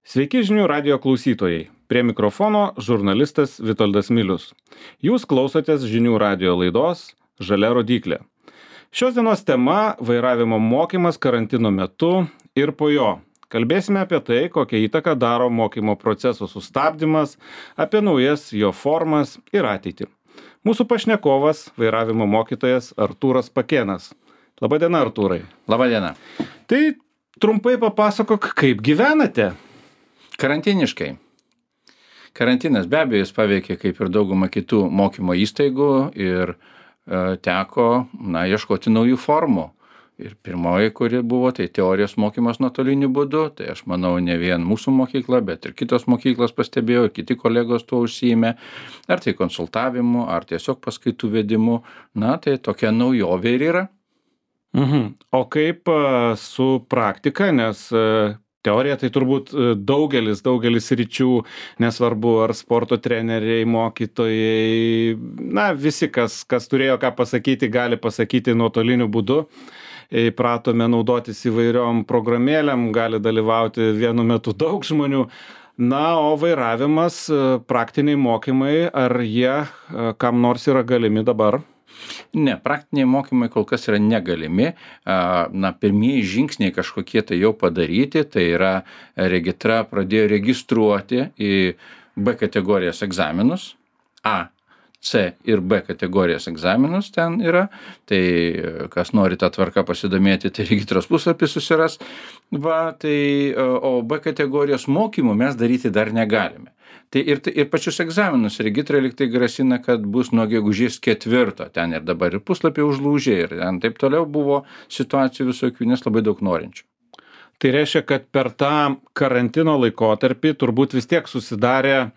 Sveiki žinių radijo klausytojai. Prie mikrofono žurnalistas Vitoldas Milius. Jūs klausotės žinių radijo laidos Žalia rodyklė. Šios dienos tema – vairavimo mokymas karantino metu ir po jo. Kalbėsime apie tai, kokią įtaką daro mokymo proceso sustabdymas, apie naujas jo formas ir ateitį. Mūsų pašnekovas – vairavimo mokytojas Artūras Pakėnas. Labadiena, Artūrai. Labadiena. Tai trumpai papasakok, kaip gyvenate? Karantiniškai. Karantinas be abejo jis paveikė kaip ir daugumą kitų mokymo įstaigų ir teko ieškoti naujų formų. Ir pirmoji, kuri buvo, tai teorijos mokymas nuotoliniu būdu. Tai aš manau, ne vien mūsų mokykla, bet ir kitos mokyklos pastebėjo, ir kiti kolegos tuo užsiėmė. Ar tai konsultavimu, ar tiesiog paskaitų vedimu. Tai tokia naujovė ir yra. O kaip su praktika, nes teorija tai turbūt daugelis ryčių, nesvarbu ar sporto treneriai, mokytojai, visi, kas turėjo ką pasakyti, gali pasakyti nuotoliniu būdu. Įpratome naudotis įvairiom programėlėm, gali dalyvauti vienu metu daug žmonių. O vairavimas, praktiniai mokymai, ar jie kam nors yra galimi dabar? Ne, praktiniai mokymai kol kas yra negalimi. Pirmieji žingsniai kažkokie tai jau padaryti, tai yra regitra pradėjo registruoti į B kategorijos egzaminus. A, C ir B kategorijos egzaminus ten yra. Tai kas nori tą tvarką pasidomėti, tai regitros puslapį susiras. O B kategorijos mokymų mes daryti dar negalime. Tai ir pačius egzaminus regitra liktai grasina, kad bus nuo gegužės 4. Ten ir dabar ir puslapį užlūžė ir ten taip toliau buvo situacijų visokių, nes labai daug norinčių. Tai reiškia, kad per tą karantino laikotarpį turbūt vis tiek susidarė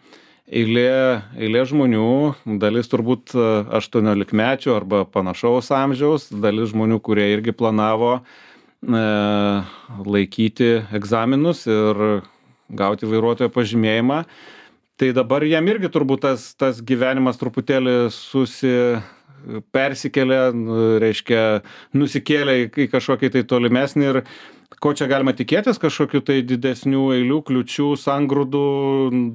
eilė žmonių, dalis turbūt 18-mečių arba panašaus amžiaus, dalis žmonių, kurie irgi planavo laikyti egzaminus ir gauti vairuotojo pažymėjimą. Tai dabar jam irgi turbūt tas gyvenimas truputėlį persikėlė, reiškia, nusikėlė į kažkokį tai tolimesnį ir ko čia galima tikėtis, kažkokių tai didesnių eilių, kliučių, sangrūdų,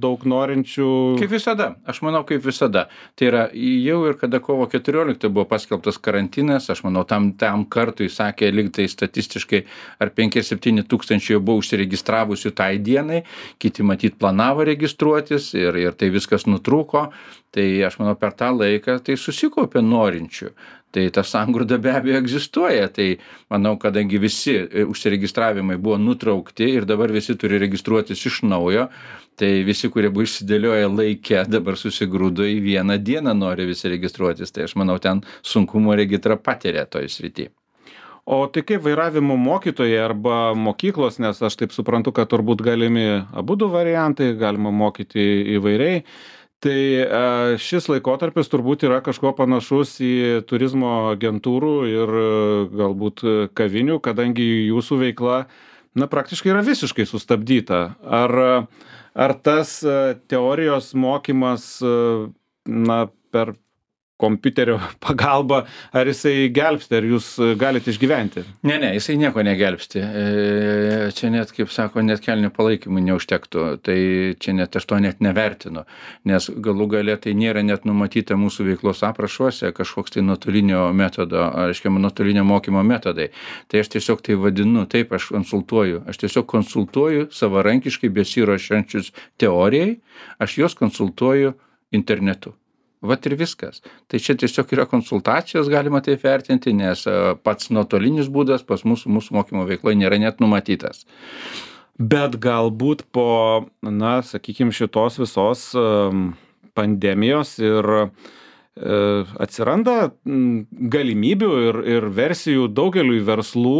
daug norinčių? Kaip visada, aš manau kaip visada. Tai yra jau ir kada kovo 14 buvo paskelbtas karantinas, aš manau tam kartui sakė, lyg tai statistiškai ar 5-7 tūkstančiai buvo užsiregistravusių tai dienai, kiti matyt planavo registruotis ir tai viskas nutrūko. Tai aš manau per tą laiką tai susikaupė norinčių. Tai ta sangrūda be abejo egzistuoja. Tai manau, kadangi visi užsiregistravimai buvo nutraukti ir dabar visi turi registruotis iš naujo, tai visi, kurie buvo išsidėlioję laike, dabar susigrūdo į vieną dieną nori visi registruotis. Tai aš manau, ten sunkumo regitra patiria toj srity. O tai kaip vairavimo mokytojai arba mokyklos, nes aš taip suprantu, kad turbūt galimi abudu variantai, galima mokyti įvairiai. Tai šis laikotarpis turbūt yra kažkuo panašus į turizmo agentūrų ir galbūt kavinių, kadangi jūsų veikla praktiškai yra visiškai sustabdyta. Ar tas teorijos mokymas per kompiuterio pagalba, ar jisai gelbsti, ar jūs galite išgyventi? Ne, jisai nieko negelbsti. Čia net, kaip sako, net kelnių palaikymų neužtektų. Tai čia net aš to net nevertinu, nes galų gale tai nėra net numatyta mūsų veiklos aprašuose kažkoks tai nuotolinio metodo, nuotolinio mokymo metodai. Tai aš tiesiog tai vadinu, taip aš konsultuoju. Aš tiesiog konsultuoju savarankiškai besiruošiančius teorijai, aš juos konsultuoju internetu. Vat ir viskas. Tai čia tiesiog yra konsultacijos, galima taip vertinti, nes pats nuotolinis būdas pas mūsų mokymo veikloje nėra net numatytas. Bet galbūt po, sakykime, šitos visos pandemijos ir atsiranda galimybių ir versijų daugeliui verslų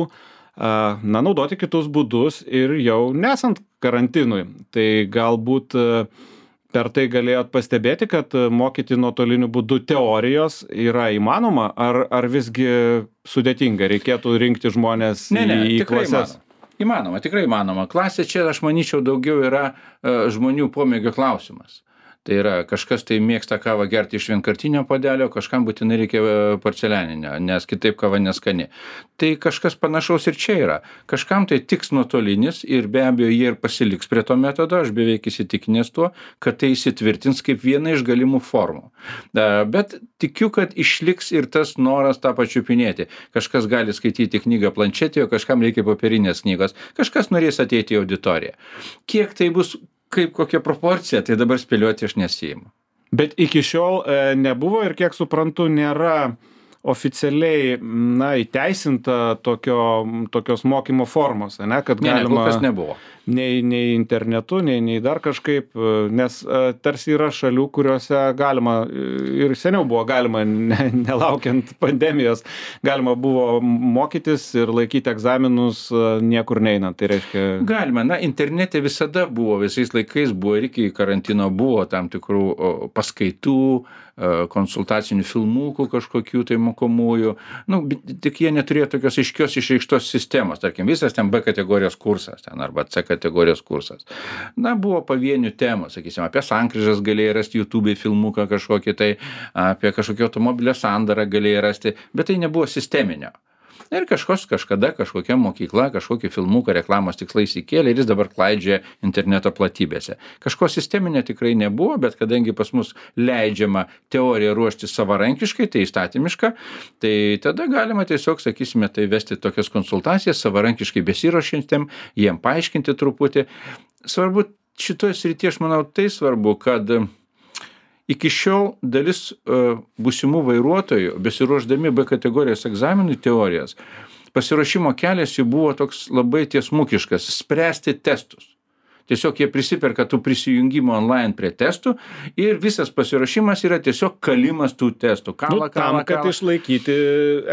naudoti kitus būdus ir jau nesant karantinui. Tai galbūt per tai galėjot pastebėti, kad mokyti nuotoliniu būdu teorijos yra įmanoma, ar visgi sudėtinga, reikėtų rinkti žmonės į klases? Įmanoma, tikrai įmanoma. Klasė čia, aš manyčiau, daugiau yra žmonių pomėgio klausimas. Tai yra, kažkas tai mėgsta kavą gerti iš vienkartinio puodelio, kažkam būtinai reikia porcelianinio, nes kitaip kava neskani. Tai kažkas panašaus ir čia yra. Kažkam tai tiks nuotolinis ir be abejo jie ir pasiliks prie to metodo, aš beveik įsitikinęs tuo, kad tai įsitvirtins kaip viena iš galimų formų. Bet tikiu, kad išliks ir tas noras tą pačiupinėti. Kažkas gali skaityti knygą planšetėje, kažkam reikia popierinės knygos, kažkas norės ateiti į auditoriją. Kiek tai bus, kaip kokia proporcija, tai dabar spėlioti aš nesiimu. Bet iki šiol nebuvo ir kiek suprantu, nėra oficialiai, įteisinta tokios mokymo formos, ne, kad galima... Kol kas nebuvo. Nei internetu, nei dar kažkaip, nes tarsi yra šalių, kuriuose galima, ir seniau buvo galima, nelaukiant pandemijos, galima buvo mokytis ir laikyti egzaminus niekur neinant. Tai reiškia... Galima, internete visada buvo, visais laikais buvo ir iki karantino buvo tam tikrų paskaitų, konsultacinių filmukų kažkokių tai mokomųjų, tik jie neturėjo tokios aiškios išreikštos sistemos, tarkim, visas ten B kategorijos kursas ten, arba C kategorijos kursas. Buvo pavienių temų, sakysim, apie sankryžas galėjai rasti YouTube filmuką kažkokį tai, apie kažkokį automobilio sandarą galėjai rasti, bet tai nebuvo sisteminio. Ir kažkada kažkokia mokykla, kažkokį filmuką reklamos tikslais įkėlė ir jis dabar klaidžia interneto platybėse. Kažko sisteminio tikrai nebuvo, bet kadangi pas mus leidžiama teoriją ruošti savarankiškai, tai įstatymiška, tai tada galima tiesiog, sakysime, tai vesti tokias konsultacijas savarankiškai besiruošiantiem, jiem paaiškinti truputį. Svarbu šitoje srityje, aš manau, tai svarbu, kad iki šiol dalis būsimų vairuotojų, besiruošdami B kategorijos egzaminų teorijas, pasiruošimo kelias jų buvo toks labai tiesmukiškas – spręsti testus. Tiesiog jie prisiperka tų prisijungimų online prie testų ir visas pasiruošimas yra tiesiog kalimas tų testų. Tam, kad išlaikyti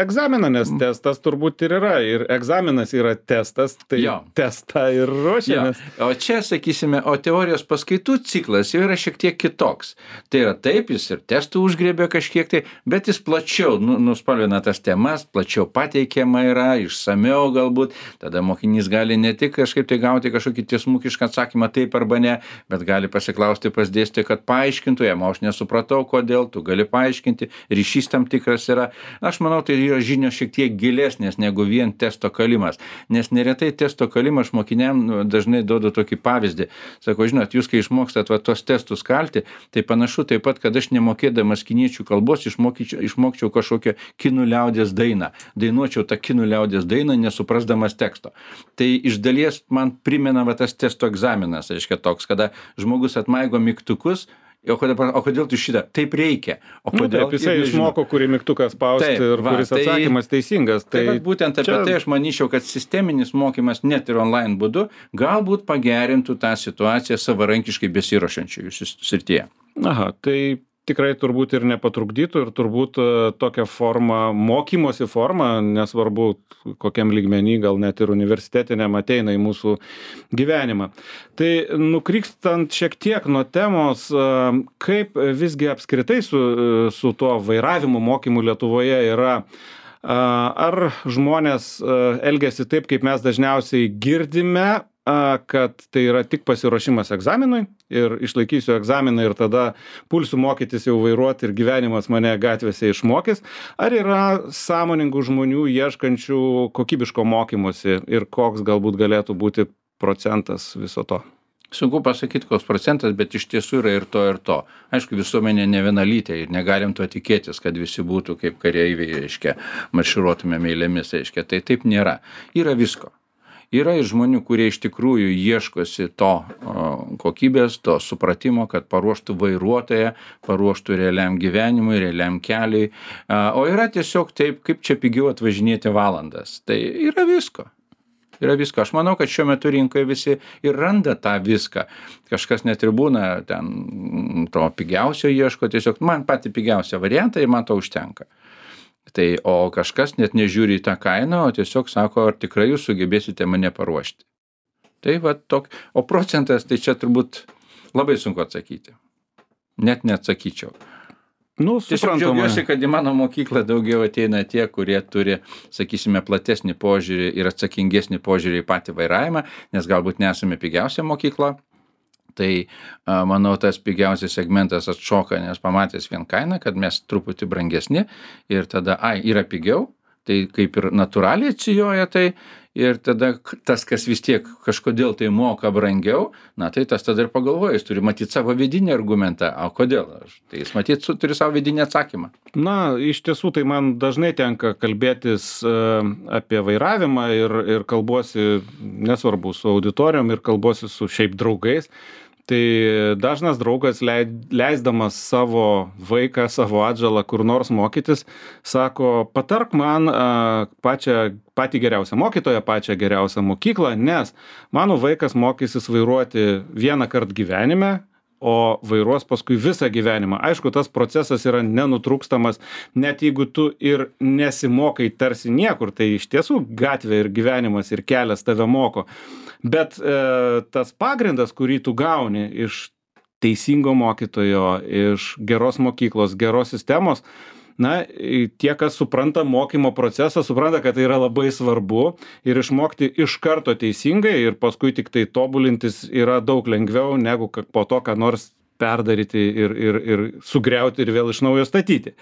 egzaminą, nes testas turbūt ir yra. Ir egzaminas yra testas, tai testą ir ruošiamės. O čia, sakysime, o teorijos paskaitų ciklas jau yra šiek tiek kitoks. Tai yra taip, jis ir testų užgriebė kažkiek tai, bet jis plačiau nuspalvina tas temas, plačiau pateikiama yra, išsamiau galbūt. Tada mokinys gali ne tik kažkaip tai gauti kažkokį tiesmukišką atsakymą taip arba ne, bet gali pasiklausti pas dėstytoją, kad paaiškintų jam, aš nesupratau, kodėl, tu gali paaiškinti, ryšys tam tikras yra. Aš manau, tai yra žinios šiek tiek gilesnės negu vien testo kalimas, nes neretai testo kalimą aš mokiniam dažnai duodu tokį pavyzdį. Sako, žinot, jūs kai išmokstat tos testus kalti, tai panašu taip pat, kad aš nemokėdamas kiniečių kalbos išmokčiau kažkokią kinų liaudies dainą. Dainuočiau tą kinų liaudies dainą, nesuprasdamas teksto. Tai iš dalies man primena tas testo egzaminas, reiškia toks, kada žmogus atmaigo mygtukus, o kodėl tu šitą? Taip reikia. O kodėl? Taip, jisai išmoko, kurį mygtuką spausti ir kuris atsakymas teisingas. Tai būtent apie tai aš manyčiau, kad sisteminis mokymas net ir online būdu galbūt pagerintų tą situaciją savarankiškai besiruošiančiųjų srityje. Aha, tai tikrai turbūt ir nepatrukdytų ir turbūt tokią formą, mokymosi formą, nesvarbu kokiam lygmenį, gal net ir universitetiniam ateina į mūsų gyvenimą. Tai nukrykstant šiek tiek nuo temos, kaip visgi apskritai su tuo vairavimo mokymu Lietuvoje yra, ar žmonės elgiasi taip, kaip mes dažniausiai girdime, kad tai yra tik pasiruošimas egzaminui ir išlaikysiu egzaminą ir tada pulsiu mokytis jau vairuoti ir gyvenimas mane gatvėse išmokys, ar yra sąmoningų žmonių ieškančių kokybiško mokymosi ir koks galbūt galėtų būti procentas viso to? Sunku pasakyti, koks procentas, bet iš tiesų yra ir to, ir to. Aišku, visuomenė ne vienalytė ir negalim to tikėtis, kad visi būtų kaip kareiviai, reiškia, marširuotumėm eilėmis, reiškia. Tai taip nėra. Yra visko. Yra ir žmonių, kurie iš tikrųjų ieškosi to kokybės, to supratimo, kad paruoštų vairuotoją, paruoštų realiam gyvenimui, realiam keliui. O yra tiesiog taip, kaip čia pigiau atvažinėti valandas. Tai yra visko. Yra visko. Aš manau, kad šiuo metu rinkoje visi ir randa tą viską. Kažkas net ir būna ten to pigiausio ieško, tiesiog man patį pigiausią variantą ir man to užtenka. Tai, o kažkas net nežiūri į tą kainą, o tiesiog sako, ar tikrai jūs sugebėsite mane paruošti. Tai va o procentas, tai čia turbūt labai sunku atsakyti. Net neatsakyčiau. Tiesiog džiaugiuosi, kad į mano mokyklą daugiau ateina tie, kurie turi, sakysime, platesnį požiūrį ir atsakingesnį požiūrį į patį vairavimą, nes galbūt nesame pigiausia mokykla. Tai manau, tas pigiausias segmentas atšoka, nes pamatęs vien kainą, kad mes truputį brangesni ir tada, yra pigiau, tai kaip ir natūraliai atsijoja tai ir tada tas, kas vis tiek kažkodėl tai moka brangiau, na tai tas tada ir pagalvoja, jis turi matyti savo vidinį argumentą, o kodėl? Tai jis matyti turi savo vidinį atsakymą. Na, iš tiesų, tai man dažnai tenka kalbėtis apie vairavimą ir kalbuosi, nesvarbu, su auditorijom ir kalbuosi su šiaip draugais. Tai dažnas draugas leisdamas savo vaiką, savo atžalą kur nors mokytis, sako, patark man patį geriausią mokytoją, pačią geriausią mokyklą, nes mano vaikas mokysis vairuoti vieną kartą gyvenime, o vairuos paskui visą gyvenimą. Aišku, tas procesas yra nenutrūkstamas, net jeigu tu ir nesimokai tarsi niekur, tai iš tiesų gatvė ir gyvenimas ir kelias tave moko. Bet tas pagrindas, kurį tu gauni iš teisingo mokytojo, iš geros mokyklos, geros sistemos, na, tie, kas supranta mokymo procesą, supranta, kad tai yra labai svarbu ir išmokti iš karto teisingai ir paskui tik tai tobulintis yra daug lengviau negu po to, ką nors perdaryti ir sugriauti ir vėl iš naujo statyti.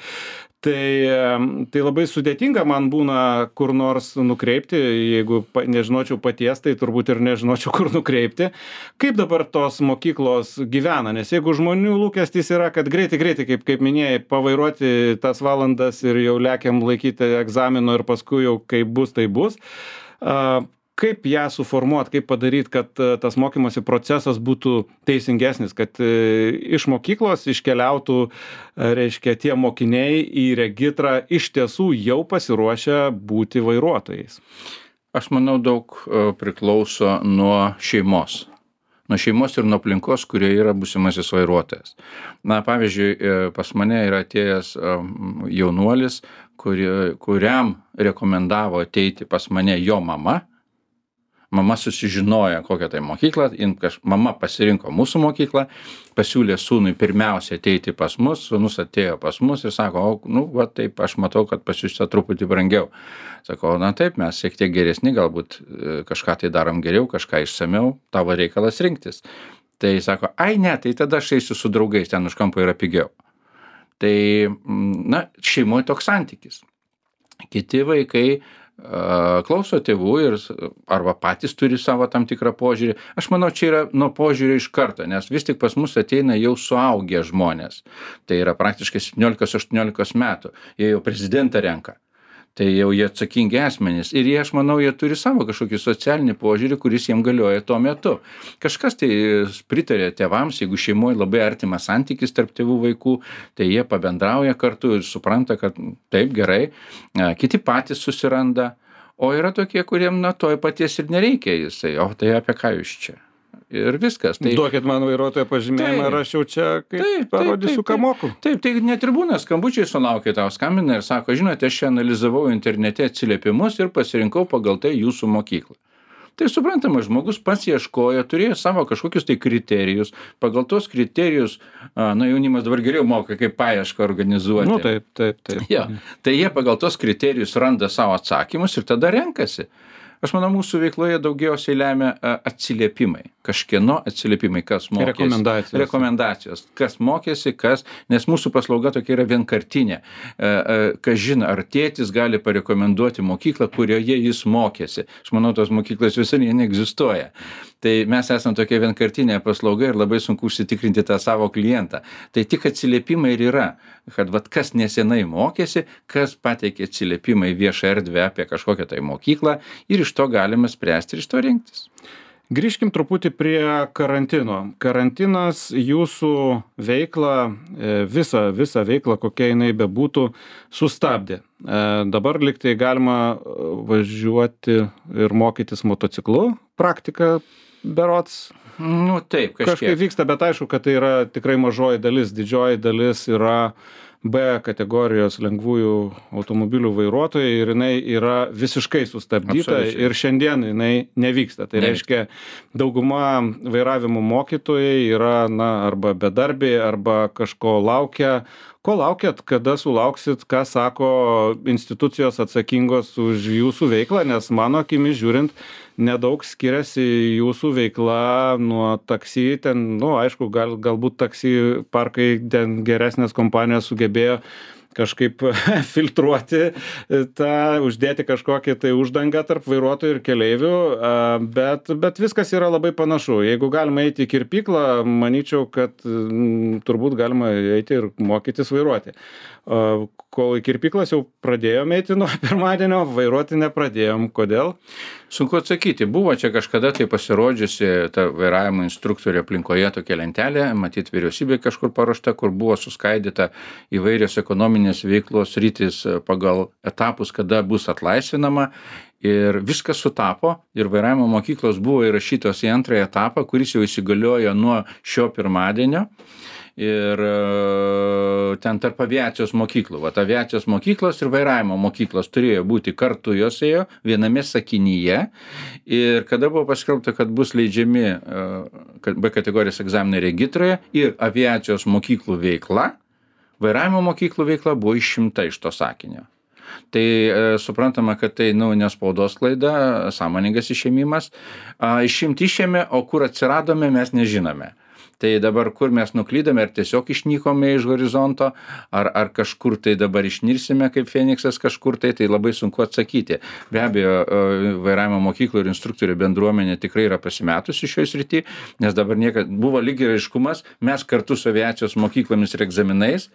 Tai labai sudėtinga man būna kur nors nukreipti, jeigu nežinočiau paties, tai turbūt ir nežinočiau, kur nukreipti. Kaip dabar tos mokyklos gyvena? Nes jeigu žmonių lūkestis yra, kad greitai, kaip minėjai, pavairuoti tas valandas ir jau lekiam laikyti egzamino ir paskui jau kaip bus, tai bus. Kaip ją suformuot, kaip padaryt, kad tas mokymosi procesas būtų teisingesnis, kad iš mokyklos iškeliautų, reiškia, tie mokiniai į regitrą iš tiesų jau pasiruošę būti vairuotojais? Aš manau, daug priklauso nuo šeimos. Nuo šeimos ir nuo aplinkos, kurie yra būsimasis vairuotojas. Na, pavyzdžiui, pas mane yra atėjęs jaunuolis, kuriam rekomendavo ateiti pas mane jo mama. Mama susižinojo, kokią tai mokyklą, mama pasirinko mūsų mokyklą, pasiūlė sūnui pirmiausia ateiti pas mus, sūnus atėjo pas mus ir sako, va taip, aš matau, kad pas jūs truputį brangiau. Sako, na taip, mes šiek tiek geresni, galbūt kažką tai darom geriau, kažką išsamiau, tavo reikalas rinktis. Tai sako, ne, tai tada aš eisiu su draugais, ten už kampo yra pigiau. Tai, na, šeimoje toks santykis. Kiti vaikai klauso tėvų ir arba patys turi savo tam tikrą požiūrį. Aš manau, čia yra nuo požiūrio iš karto, nes vis tik pas mus ateina jau suaugę žmonės. Tai yra praktiškai 17-18 metų. Jie jau prezidentą renka. Tai jau jie atsakingi asmenys. Ir jie, aš manau, jie turi savo kažkokį socialinį požiūrį, kuris jiem galioja tuo metu. Kažkas tai pritarė tėvams, jeigu šeimoje labai artimas santykis tarp tėvų vaikų, tai jie pabendrauja kartu ir supranta, kad taip gerai. Kiti patys susiranda. O yra tokie, kuriem to paties ir nereikia jisai. O tai apie ką jūs čia? Ir viskas. Tai... Duokit man vairuotojo pažymėjimą ir aš jau čia parodysiu, ką moku. Taip, tai net ir būna skambučiai sulaukia, tau skambina ir sako, žinote, aš čia analizavau internete atsiliepimus ir pasirinkau pagal tai jūsų mokyklą. Tai suprantama, žmogus pats ieškojo, turėjo savo kažkokius tai kriterijus, pagal tos kriterijus, jaunimas dabar geriau moka, kaip paiešką organizuoti. Taip. Ja, tai jie pagal tos kriterijus randa savo atsakymus ir tada renkasi. Aš manau, mūsų veikloje daugiausiai lemia atsiliepimai. Kažkieno atsiliepimai, kas mokėsi. Rekomendacijos. Kas mokėsi, nes mūsų paslauga tokia yra vienkartinė. Kas žino, ar tėtis gali parekomenduoti mokyklą, kurioje jis mokėsi. Aš manau, tos mokyklos visai neegzistuoja. Tai mes esame tokia vienkartinė paslauga ir labai sunku užsitikrinti tą savo klientą. Tai tik atsiliepimai ir yra, kad kas nesenai mokėsi, kas pateikė atsiliepimą į viešą erdvę apie kažkokią tai mokyklą ir iš to galime spręsti ir iš to rinktis. Grįžkim truputį prie karantino. Karantinas jūsų veiklą, visą veiklą, kokia jinai bebūtų, sustabdė. Dabar liktai galima važiuoti ir mokytis motociklu, praktika berods. Taip, kažkaip vyksta, bet aišku, kad tai yra tikrai mažoji dalis. Didžioji dalis yra B kategorijos lengvųjų automobilių vairuotojai ir jinai yra visiškai sustabdyta. Absoliučiai. Ir šiandien jinai nevyksta. Tai reiškia, dauguma vairavimo mokytojai yra arba bedarbiai, arba kažko laukia, Ko laukiat, kada sulauksit, ką sako institucijos atsakingos už jūsų veiklą, nes mano akimis žiūrint, nedaug skiriasi jūsų veikla nuo taksi, ten, nu, aišku, galbūt taksi parkai, ten geresnės kompanijos sugebėjo kažkaip filtruoti uždėti kažkokį tai uždangą tarp vairuotojų ir keleivių, bet viskas yra labai panašu. Jeigu galima eiti į kirpyklą, manyčiau, kad turbūt galima eiti ir mokytis vairuoti. Kol į kirpyklas jau pradėjome eiti nuo pirmadienio, vairuoti nepradėjom. Kodėl? Sunku atsakyti. Buvo čia kažkada tai pasirodžiusi ta vairavimo instruktorių aplinkoje tokia lentelė, matyt, vyriausybė kažkur paruošta, kur buvo suskaidyta įvairios ekonominės veiklos sritys pagal etapus, kada bus atlaisvinama. Ir viskas sutapo ir vairavimo mokyklos buvo įrašytos į antrąjį etapą, kuris jau įsigaliojo nuo šio pirmadienio. Ir ten tarp aviacijos mokyklų. Vat aviacijos mokyklos ir vairavimo mokyklos turėjo būti kartu, jos ėjo viename sakinyje. Ir kada buvo paskelbta, kad bus leidžiami B kategorijos egzaminai regitroje ir aviacijos mokyklų veikla, vairavimo mokyklų veikla buvo išimta iš to sakinio. Tai suprantama, kad tai nespaudos klaida, sąmoningas išėmimas. Išimti išėmė, o kur atsiradome, mes nežinome. Tai dabar kur mes nuklydome, ar tiesiog išnykome iš horizonto, ar kažkur tai dabar išnirsime kaip Feniksas kažkur tai labai sunku atsakyti. Be abejo, vairavimo mokyklų ir instruktorių bendruomenė tikrai yra pasimetusi šioje srityje, nes dabar buvo lyg ir aiškumas, mes kartu su aviacijos mokyklomis ir egzaminais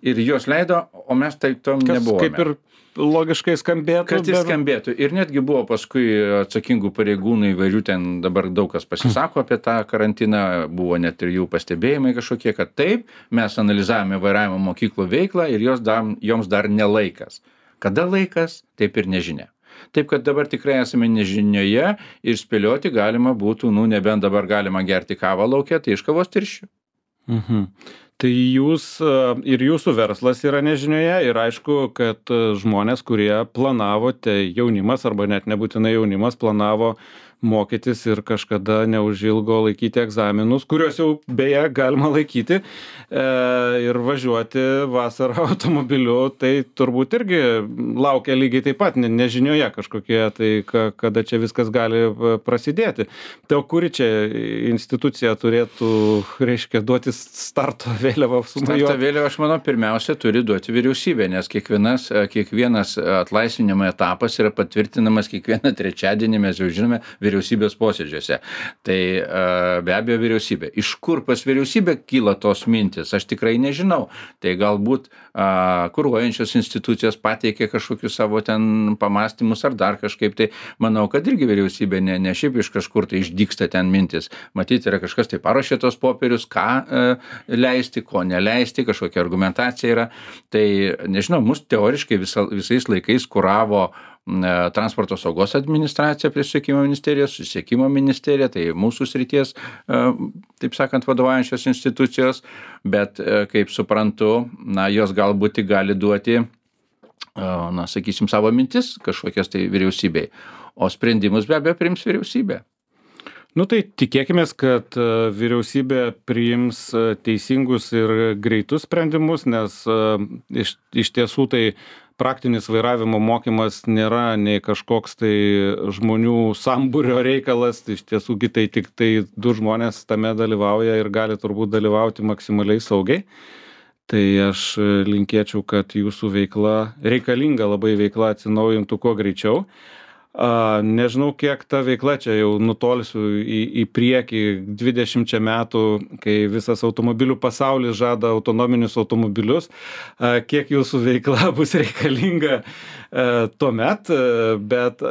ir jos leido, o mes tai tom nebuvome. Kaip ir logiškai skambėtų. Kad jis skambėtų. Ir netgi buvo paskui atsakingų pareigūnų įvairių, ten dabar daug kas pasisako apie tą karantiną, buvo net ir jų pastebėjimai kažkokie, kad taip, mes analizavome vairavimo mokyklų veiklą ir joms dar nelaikas. Kada laikas, taip ir nežinia. Taip, kad dabar tikrai esame nežinioje ir spėlioti galima būtų, nebent dabar galima gerti kavą lauke, tai iš kavos tirščių. Tai jūs ir jūsų verslas yra nežinioje ir aišku, kad žmonės, kurie planavote, jaunimas arba net nebūtinai jaunimas, planavo mokytis ir kažkada neužilgo laikyti egzaminus, kuriuos jau beje galima laikyti ir važiuoti vasarą automobiliu, tai turbūt irgi laukia lygiai taip pat nežinioje kažkokie, tai kada čia viskas gali prasidėti. Tai kuri čia institucija turėtų, reiškia, duoti starto vėliavą sumojuoti? Starto vėliavą, aš manau, pirmiausia turi duoti vyriausybė, nes kiekvienas atlaisvinimo etapas yra patvirtinamas kiekvieną trečiadienį, mes jau žinome, vyriausybės posėdžiuose. Tai be abejo vyriausybė. Iš kur pas vyriausybę kyla tos mintis, aš tikrai nežinau. Tai galbūt kuruojančios institucijos pateikė kažkokius savo ten pamastymus ar dar kažkaip. Tai manau, kad irgi vyriausybė ne šiaip iš kažkur tai išdygsta ten mintis. Matyti, yra kažkas tai paruošė tos popierius, ką leisti, ko neleisti, kažkokia argumentacija yra. Tai nežinau, mus teoriškai visais laikais kuravo transporto saugos administracija prie susisiekimo ministerijos, susisiekimo ministerija, tai mūsų srities, taip sakant, vadovaujančios institucijos, bet kaip suprantu, jos galbūt gali duoti, sakysim, savo mintis kažkokias tai vyriausybei, o sprendimus be abejo priims vyriausybė. Tai tikėkimės, kad vyriausybė priims teisingus ir greitus sprendimus, nes iš tiesų tai praktinis vairavimo mokymas nėra nei kažkoks tai žmonių sambūrio reikalas, iš tiesų tai tik tai 2 žmonės tame dalyvauja ir gali turbūt dalyvauti maksimaliai saugiai. Tai aš linkėčiau, kad jūsų veikla, reikalinga labai veikla atsinaujintų kuo greičiau. Nežinau, kiek ta veikla čia jau nutolsiu į priekį 20 metų, kai visas automobilių pasaulis žada autonominius automobilius, kiek jūsų veikla bus reikalinga tuomet, bet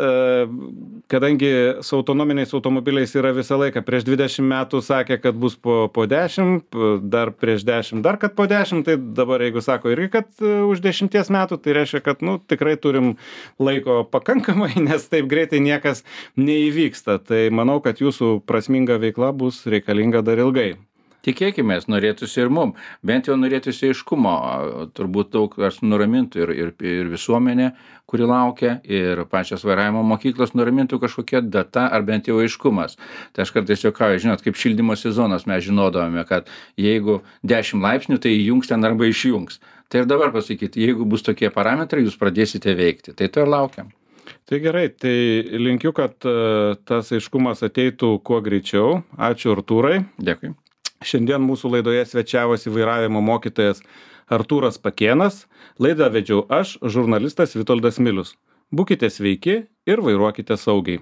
kadangi su autonominiais automobiliais yra visą laiką, prieš 20 metų sakė, kad bus po 10, dar prieš 10, dar kad po 10, tai dabar jeigu sako irgi, kad už 10 metų, tai reiškia, kad tikrai turim laiko pakankamai, nes taip greitai niekas neįvyksta. Tai manau, kad jūsų prasminga veikla bus reikalinga dar ilgai. Tikėkimės, norėtųsi ir mum. Bent jau norėtųsi aiškumo. Turbūt daug kas nuramintų ir visuomenė, kuri laukia, ir pačios vairavimo mokyklos nuramintų kažkokia data ar bent jau aiškumas. Tai aš kartais juokauju, žinot, kaip šildymo sezonas mes žinodavome, kad jeigu 10 laipsnių, tai įjungs ten arba išjungs. Tai ir dabar pasakyti, jeigu bus tokie parametrai, jūs pradėsite veikti. Tai to ir laukiam. Tai gerai, tai linkiu, kad tas aiškumas ateitų kuo greičiau. Ačiū, Artūrai. Dėkui. Šiandien mūsų laidoje svečiavosi vairavimo mokytojas Artūras Pakėnas. Laidą vedžiau aš, žurnalistas Vitoldas Milius. Būkite sveiki ir vairuokite saugiai.